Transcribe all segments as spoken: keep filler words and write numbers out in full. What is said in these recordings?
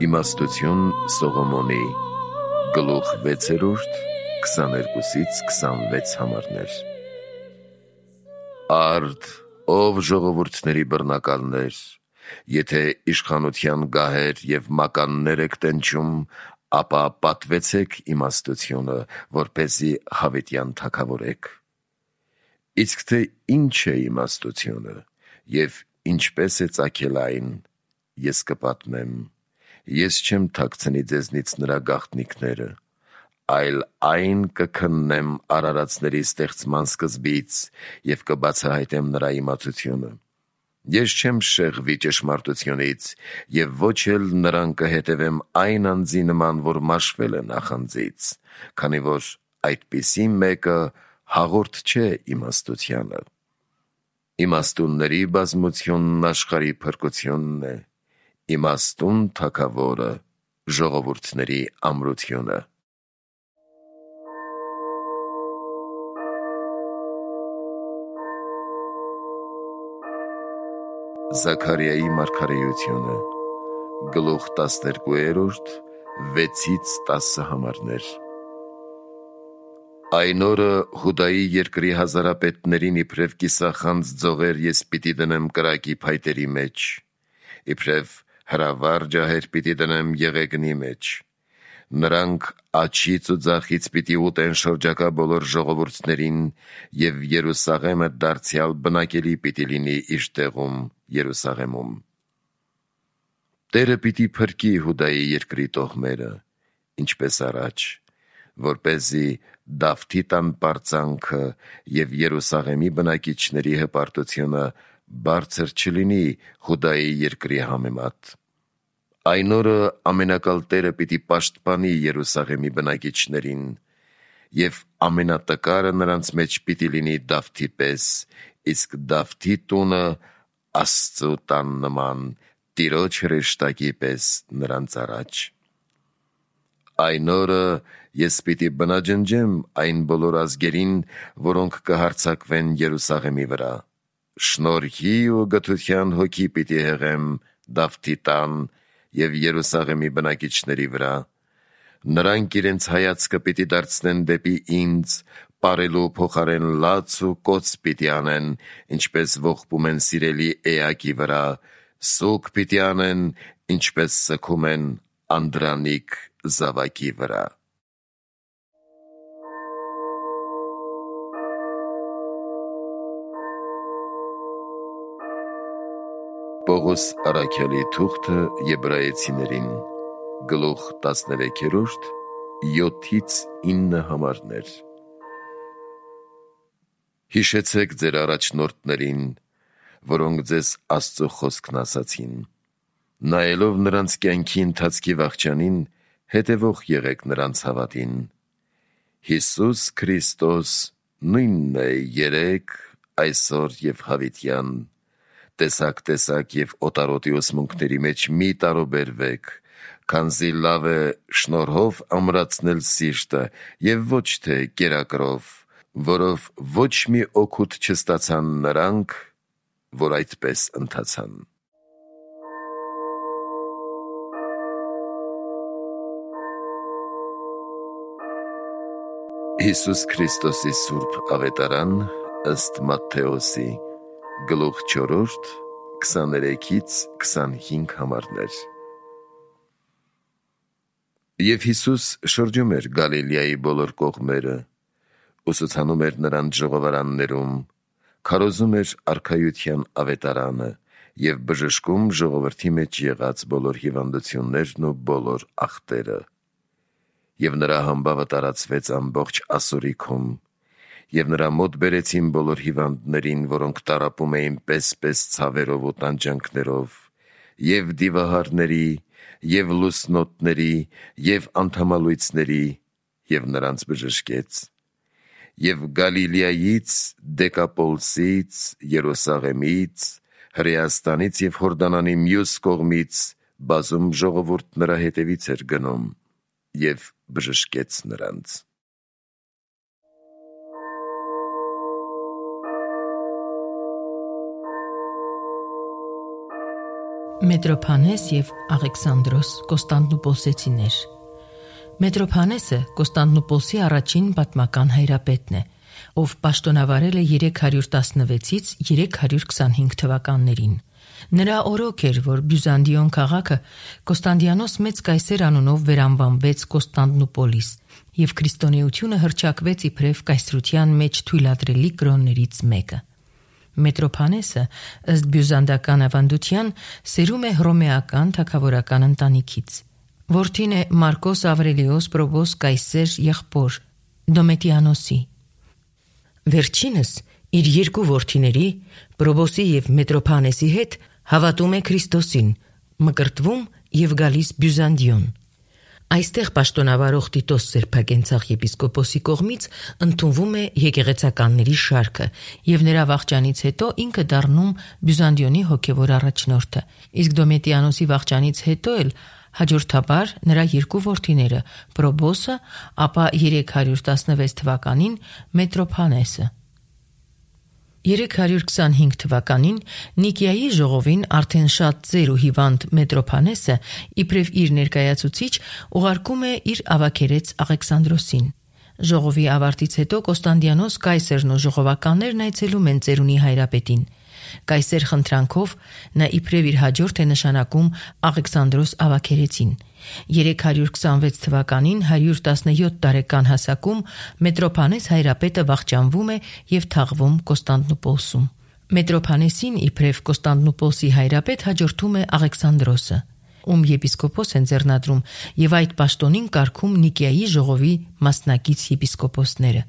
Իմաստություն Սողոմոնի գլուխ վեցերորդ քսաներկուսից քսանվեց համարներ։ Արդ, ով ժողովուրդների բռնակալներ, եթե իշխանության գահեր և մականներ եք տնչում, ապա պատվեցեք իմաստությունը, որպեսզի հավիտյան թագավորեք։ Իսկ թե ինչ է իմաստությունը և ինչպես է ծագել այն, ես կպատմեմ։ Ես չեմ թաքցնի ձեզնից նրա գաղտնիքները, այլ այն կքննեմ արարածների ստեղծման սկզբից և կբացահայտեմ նրա իմացությունը։ Ես չեմ շեղվի ճշմարտությունից և ոչ էլ նրան կհետևեմ այն անձի նման, որ մաշվել է նախանձից, քանի որ այդպիսի մեկը հաղորդ չէ իմաստությանը։ Իմաստունների բազմությունն աշխարհի փրկությունն է, իմաստուն թագավորը ժողովուրդների ամրությունը։ Զաքարիայի մարգարեությունը գլուխ տասներկուերորդ վեցից տասը համարներ։ Այն օրը Հուդայի երկրի հազարապետներին իբրև կիսախանձ ձողեր ես պիտի դնեմ կրակի փայտերի մեջ, իբրև հրավառ ջահեր պիտի դնեմ եղեգնի մեջ։ Նրանք աջից ու ձախից պիտի ուտեն շրջակա բոլոր ժողովուրդներին, և Երուսաղեմը դարձյալ բնակելի պիտի լինի իր տեղում Երուսաղեմում։ Տերը պիտի փրկի Հուդայի երկրի տոհմերը, ինչպես առաջ, որպեսզի Դավթի տան պարծանքը և Երուսաղեմի բնակիչների հպարտությունը բարձր չլինի Հուդայի երկրի համեմատ։ Այն օրը ամենակալ Տերը պիտի պաշտպանի Երուսաղեմի բնակիչներին, և ամենատկարը նրանց մեջ պիտի լինի Դավթի պես, իսկ Դավթի տունը Աստծու տան նման, Տիրոջ հրեշտակի պես նրանց առաջ։ Այն օրը ես պիտի բնաջնջեմ այն բոլոր ազգերին, որոնք կհարձակվեն Երուսաղեմի վրա։ Շնորհի ու գթության հոգի պիտի հեղեմ Դավթի տան և Երուսաղեմի բնակիչների վրա։ Նրանք իրենց հայացքը պիտի դարձնեն դեպի ինձ, պարելու փոխարեն լաց ու կոծ պիտի անեն, ինչպես ողբում են սիրելի էակի վրա, սուգ պիտի անեն, ինչպես սգում են անդրանիկ զավակի վրա։ Պողոս առաքյալի թուղթը Եբրայեցիներին գլուխ տասներեքերորդ յոթից ինը համարներ։ Հիշեցեք ձեր առաջնորդներին, որոնք ձեզ Աստծու խոսքն ասացին։ Նայելով նրանց կյանքի ընթացքի վախճանին, հետևող եղեք նրանց հավատին։ Հիսուս Քրիստոս նույնն է երեկ, այսօր և հավիտյան։ Տեսակ-տեսակ և օտարոտի ուսմունքների մեջ մի տարուբերվեք, քանզի լավ է շնորհով ամրացնել սիրտը և ոչ թե կերակրով, որով ոչ մի օգուտ չստացան նրանք, որ այդպես ընթացան։ Հիսուս Քրիստոսի սուրբ ավետարան ըստ Մատթեոսի գլուխ չորրորդ քսաներեքից քսանհինգ համարներ։ Եվ Հիսուս շրջում էր Գալիլեայի բոլոր կողմերը, ուսուցանում էր նրանց ժողովարաններում, քարոզում էր արքայության ավետարանը և բժշկում ժողովրդի մեջ եղած բոլոր հիվանդություններն ու բոլոր ախտերը։ Եվ նրա համբավը տարածվեց ամբողջ ասորիքում, և նրա մոտ բերեցին բոլոր հիվանդներին, որոնք տառապում էին պես-պես ցավերով ու տանջանքներով, և դիվահարների, և լուսնոտների, և անդամալույծների, և նրանց բժշկեց։ Եվ Գալիլեայից, Դեկապոլսից, Երուսաղեմից, Հրեաստանից և Հորդանանի մյուս կողմից բազում ժողովուրդ նրա հետևից էր գնում և բժշկեց նրանց։ Մետրոփանես և Աղեքսանդրոս Կոստանդնուպոլսեցիներ։ Մետրոփանեսը Կոստանդնուպոլսի առաջին պատմական հայրապետն է, ով պաշտոնավարել է երեք հարյուր տասնվեցից երեք հարյուր քսանհինգ թվականներին։ Նրա օրոք էր, որ Բյուզանդիոն քաղաքը Կոստանդիանոս մեծ կայսեր անունով վերանվանվեց Կոստանդնուպոլիս, և քրիստոնեությունը հռչակվեց իբրև կայսրության մեջ թույլատրելի կրոններից մեկը։ Մետրոփանեսը ըստ բյուզանդական ավանդության սերում է հռոմեական թագավորական ընտանիքից։ Որդին է Մարկոս Ավրելիոս Պրոբոս կայսեր եղբոր Դոմետիանոսի։ Վերջինս իր երկու որդիների Պրոբոսի և Մետրոփանեսի հետ հավատում է Քրիստոսին, մկրտվում և գալիս Բյուզանդիոն։ Այստեղ պաշտոնավարող Տիտոս Սրբագենցաղ եպիսկոպոսի կողմից ընդունվում է եկեղեցականների շարքը, և նրա վախճանից հետո ինքը դառնում Բյուզանդիոնի հոգևոր առաջնորդը, իսկ Դոմետիանոսի վախճանից հետո էլ հաջորդաբար նրա երկու որդիները Պրոբոսը, ապա երեք հարյուր տասնվեց թվականին Մետրոփանեսը։ երեք հարյուր քսանհինգ թվականին Նիկիայի ժողովին արդեն շատ ծեր ու հիվանդ Մետրոփանեսը իբրև իր ներկայացուցիչ ուղարկում է իր ավագերեց Աղեքսանդրոսին։ Ժողովի ավարտից հետո Կոստանդիանոս կայսերն ու ժողովականներն այցելում են ծերունի հայրապետին։ Կայսեր խնդրանքով նա իբրև իր հաջորդ է նշանակում Աղեքսանդրոս ավագերեցին։ երեք հարյուր քսանվեց թվականին հարյուր տասնյոթ տարեկան հասակում Մետրոփանես հայրապետը վախճանվում է և թաղվում Կոստանդնուպոլսում։ Մետրոփանեսին իբրև Կոստանդնուպոլսի հայրապետ հաջորդում է Աղեքսանդրոսը, ում եպիսկոպոս են ձեռնադրում, և այդ պաշտոնին կարգում Նիկիայի ժողովի մասնակից եպիսկոպոսները։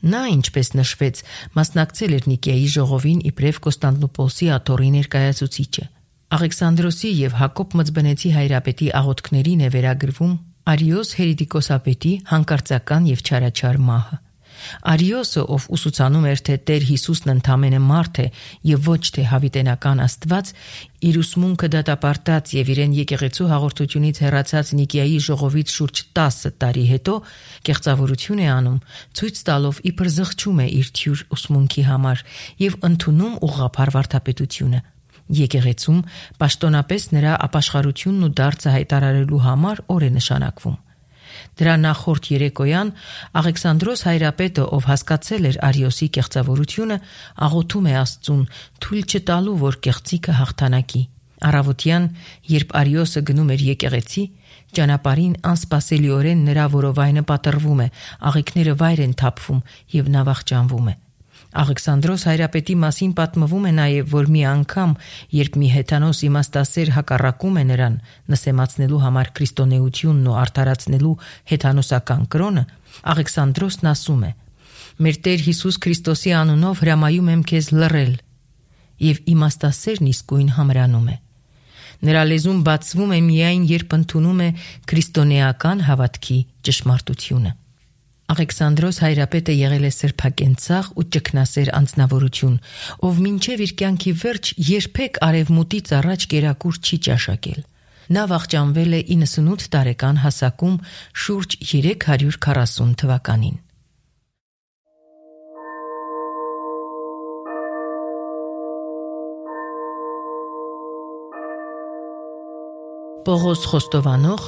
Նա, ինչպես նշվեց, մասնակցել էր Նիկիայի ժողովին իբրև Կոստանդնուպոլսի աթոռի ներկայացուցիչը։ Աղեքսանդրոսի և Հակոբ Մծբնեցի հայրապետի աղոթքներին է վերագրվում Արիոս Հերետիկոսապետի հանկարծական և չարաչար մահը։ Արիոսը, ով ուսուցանում էր, թե Տեր Հիսուսն ընդամենը մարդ է և ոչ թե հավիտենական Աստված, իր ուսմունքը դատապարտած և իրեն եկեղեցու հաղորդությունից հեռացած Նիկիայի ժողովից շուրջ տասը տարի հետո կեղծավորություն է անում, ցույց տալով իբր զղջում է իր թյուր ուսմունքի համար և ընդունում ուղղափառ վարդապետությունը։ Եկեղեցում պաշտոնապես նրա ապաշխարությունն ու դարձը հայտարարելու համար օր է նշանակվում։ Դրա նախորդ երեկոյան Աղեքսանդրոս հայրապետը, ով հասկացել էր Արիոսի կեղծավորությունը, աղոթում է Աստծուն թույլ չտալու, որ կեղծիքը հաղթանակի։ Առավոտյան, երբ Արիոսը գնում էր եկեղեցի, ճանապարհին անսպասելիորեն նրա որովայնը պատռվում է, աղիքները վայր են թափվում և նա վախճանվում է։ Աղեքսանդրոս հայրապետի մասին պատմվում է նաև, որ մի անգամ, երբ մի հեթանոս իմաստասեր հակառակում է նրան նսեմացնելու համար քրիստոնեությունն ու արդարացնելու հեթանոսական կրոնը, Աղեքսանդրոսն ասում է. «Մեր Տեր Հիսուս Քրիստոսի անունով հրամայում եմ քեզ լռել», և իմաստասերն իսկույն համրանում է։ Նրա լեզուն բացվում է միայն, երբ ընդունում է քրիստոնեական հավատքի ճշմարտությունը։ Աղեքսանդրոս հայրապետը եղել է սրբակենցաղ ու ճգնասեր անձնավորություն, ով մինչև իր կյանքի վերջ երբեք արևմուտից առաջ կերակուր չի ճաշակել։ Նա վախճանվել է իննսունութ տարեկան հասակում շուրջ երեք հարյուր քառասուն թվականին։ Պողոս Խոստովանող,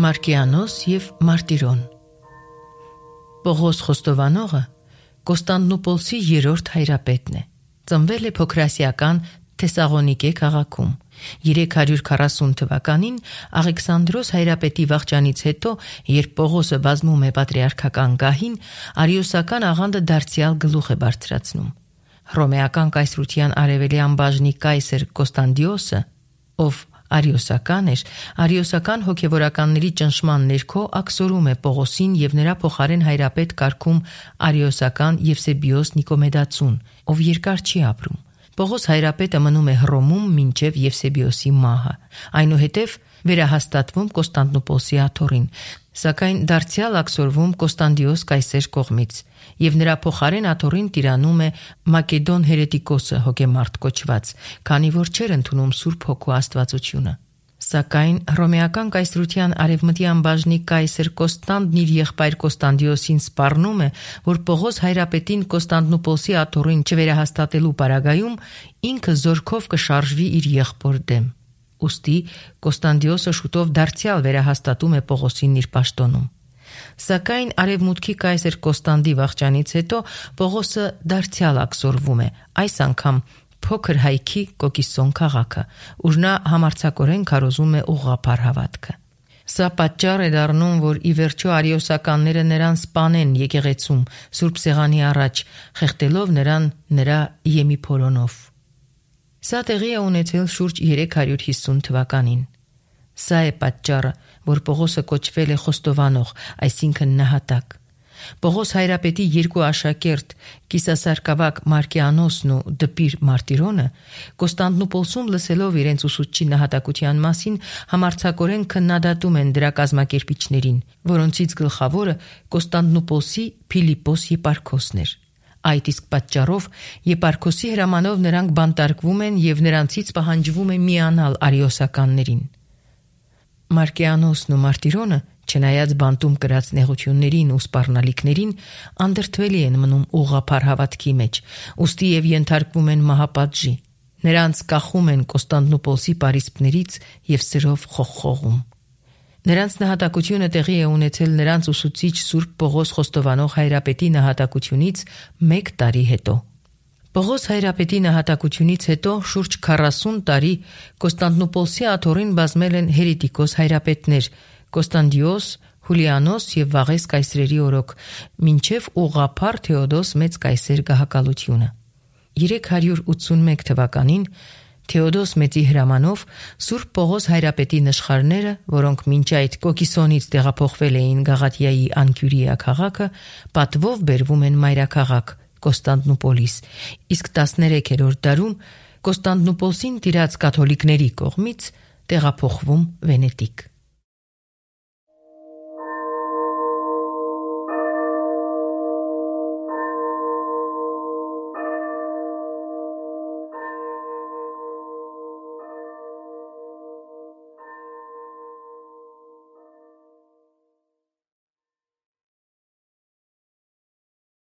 Մարկիանոս և Մարտիրոն։ Պողոս Խոստովանողը Կոստանդնուպոլսի երրորդ հայրապետն է։ Ծնվել է փոքրասիական Թեսաղոնիկե քաղաքում։ երեք հարյուր քառասուն թվականին Աղեքսանդրոս հայրապետի վախճանից հետո, երբ Պողոսը բազմում է պատրիարքական գահին, արիոսական աղանդը դարձյալ գլուխ է բարձրացնում։ Հռոմեական կայսրության արևելյան բաժնի կայսեր Կոստանդիոսը, ով արիոսական էր, արիոսական հոգևորականների ճնշման ներքո աքսորում է Պողոսին և նրա փոխարեն հայրապետ կարգում արիոսական Եվսեբիոս Նիկոմեդացուն, ով երկար չի ապրում։ Պողոս հայրապետը մնում է Հռոմում մինչև Եվսեբիոսի մահը, այնուհետև վերահաստատվում Կոստանդնուպոլսի աթոռին, սակայն դարձյալ աքսորվում Կոստանդիոս կայսեր կողմից, և նրա փոխարեն աթոռին տիրանում է Մակեդոն Հերետիկոսը հոգեմարտ կոչված, քանի որ չէր ընդունում Սուրբ Հոգու աստվածությունը։ Սակայն հռոմեական կայսրության արևմտյան բաժնի կայսեր Կոստանդն իր եղբայր Կոստանդիոսին սպառնում է, որ Պողոս հայրապետին Կոստանդնուպոլսի աթոռին չվերահաստատելու պարագայում ինքը զորքով կշարժվի իր եղբոր դեմ։ ուստի Կոստանդիոսը շուտով դարձյալ վերահաստատում է Պողոսին իր պաշտոնում։ Սակայն արևմուտքի կայսեր Կոստանդի վախճանից հետո Պողոսը դարձյալ ակսորվում է, այս անգամ փոքր հայքի Կոկիսոն քաղաքը, ուր նա համարձակորեն քարոզում է ուղղափառ հավատքը։ Սա պատճառ է դառնում, որ ի վերջո արիոսականները նրան սպանեն եկեղեցում Սուրբ Սեղանի առաջ, խեղդելով նրան նրա եմիփորոնով։ Սա տեղի է ունեցել շուրջ երեք հարյուր հիսուն թվականին։ Սա է պատճառը, որ Պողոսը կոչվել է խոստովանող, այսինքն նահատակ։ Պողոս հայրապետի երկու աշակերտ Կիսասարկավակ Մարկիանոսն ու Դպիր Մարտիրոնը Կոստանդնուպոլսում լսելով իրենց ուսուցչի նահատակության մասին համարձակորեն քննադատում են դրա կազմակերպիչներին, որոնցից գլխավորը Կոստանդնուպոլսի Փիլիպոս եպարքոսն էր։ Այդ իսկ պատճառով եպարքոսի հրամանով նրանք բանտարկվում են եւ նրանցից պահանջվում է միանալ արիոսականներին։ Մարկիանոսն ու Մարտիրոնը, չնայած բանտում կրած նեղություններին ու սպառնալիքներին, անդրդվելի են մնում ուղղափառ հավատքի մեջ, ուստի եւ ենթարկվում են մահապատժի։ Նրանց կախում են Կոստանդնուպոլսի պարիսպներից եւ սրով խողխողում։ Նրանց նահատակությունը տեղի է ունեցել նրանց ուսուցիչ Սուրբ Պողոս Խոստովանող հայրապետի նահատակությունից մեկ տարի հետո։ Պողոս հայրապետի նահատակությունից հետո շուրջ քառասուն տարի Կոստանդնուպոլսի աթոռին բազմել են հերետիկոս հայրապետներ Կոստանդիոս, Հուլիանոս եւ Վաղես կայսրերի օրոք, մինչեւ ուղղափառ Թեոդոս մեծ կայսեր գահակալությունը։ երեք հարյուր ութսունմեկ թվականին Թեոդոս մեծի հրամանով Սուրբ Պողոս հայրապետի նշխարները, որոնք մինչ այդ Կոկիսոնից տեղափոխվել էին Գաղատիայի Անկյուրիա քաղաքը, պատվով բերվում են մայրաքաղաք Կոստանդնուպոլիս, իսկ տասներեքերորդ դարում Կոստանդնուպոլսին տիրած կաթոլիկների կողմից տեղափոխվում Վենետիկ։